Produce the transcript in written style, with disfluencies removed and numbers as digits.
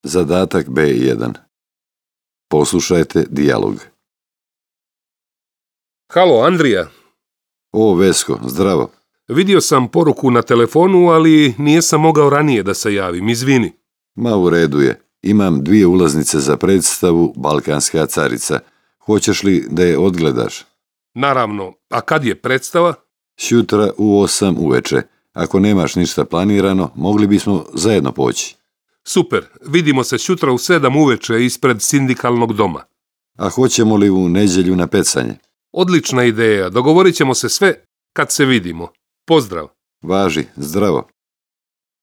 Zadatak B1. Poslušajte dijalog. Halo, Andrija. O, Vesko, zdravo. Vidio sam poruku na telefonu, ali nisam mogao ranije da se javim, izvini. Ma u redu je. Imam 2 ulaznice za predstavu Balkanska carica. Hoćeš li da je odgledaš? Naravno, a kad je predstava? Sutra u 8 uveče. Ako nemaš ništa planirano, mogli bismo zajedno poći. Super, vidimo se sutra u 7 uveče ispred sindikalnog doma. A hoćemo li u nedjelju na pecanje? Odlična ideja, dogovorit ćemo se sve kad se vidimo. Pozdrav. Važi, zdravo.